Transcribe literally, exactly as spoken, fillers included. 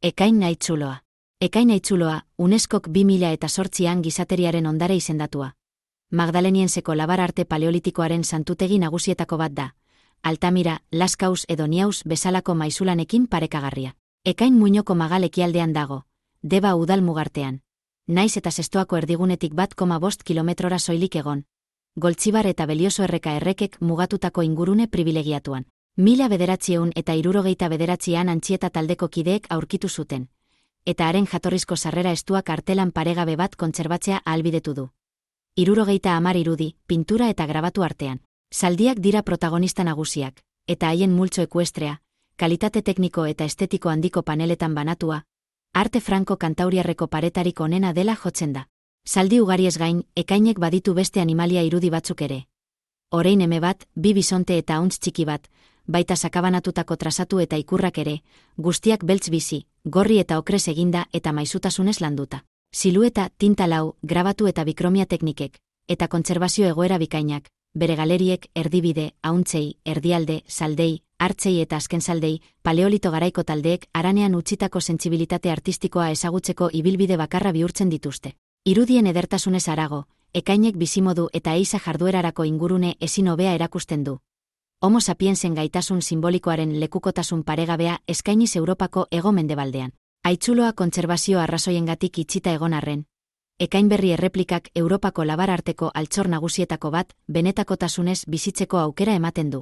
Ekain Naitzuloa. Ekain Naitzuloa, UNESCOk bi mila zortzian gizateriaren ondare izendatua. Magdalenienseko labar arte paleolitikoaren santutegi nagusietako bat da. Altamira, Laskaus edo Niaus bezalako maizulanekin parekagarria. Ekain Muinoko Magal ekialdean dago, Deba udal mugartean. Naiz eta Zestoako erdigunetik bat koma bost kilometrora soilik egon. Goltzibar eta Belioso erreka errekek mugatutako ingurune privilegiatuan. Mila bederatziehun eta hirurogeita bederatzian Antxieta taldeko kideek aurkitu zuten. Eta haren jatorrizko sarrera estuak artelan paregabe bat kontserbatzea ahalbidetu du. Hirurogeita hamar irudi, pintura eta grabatu artean. Zaldiak dira protagonista nagusiak, eta haien multzo ekuestrea, kalitate tekniko eta estetiko handiko paneletan banatua, arte franko kantauriarreko paretarik onena dela jotzen da. Zaldi ugariez gain, ekainek baditu beste animalia irudi batzuk ere. Orein eme bat, bi bisonte eta hauntz txiki bat, baita sakabanatutako trazatu eta ikurrak ere, guztiak beltz bizi, gorri eta okrez eginda eta maizutasunez landuta. Silueta, tinta lau, grabatu eta bikromia teknikek, eta kontserbazio egoera bikainak, bere galeriek, erdibide, hauntzei, erdialde, zaldei, hartzei eta azken zaldei, paleolito garaiko taldeek haranean utzitako sentsibilitate artistikoa ezagutzeko ibilbide bakarra bihurtzen dituzte. Irudien edertasunez harago, ekainek bizimodu eta eiza jarduerarako ingurune ezin hobea erakusten du. Homo sapiensen gaitasun simbolikoaren lekukotasun paregabea eskainiz Europako hego-mendebaldean. Haitzuloa kontserbazio arrazoiengatik itxita egon arren. Ekainberri erreplikak Europako labar arteko altxor nagusietako bat benetakotasunez bizitzeko aukera ematen du.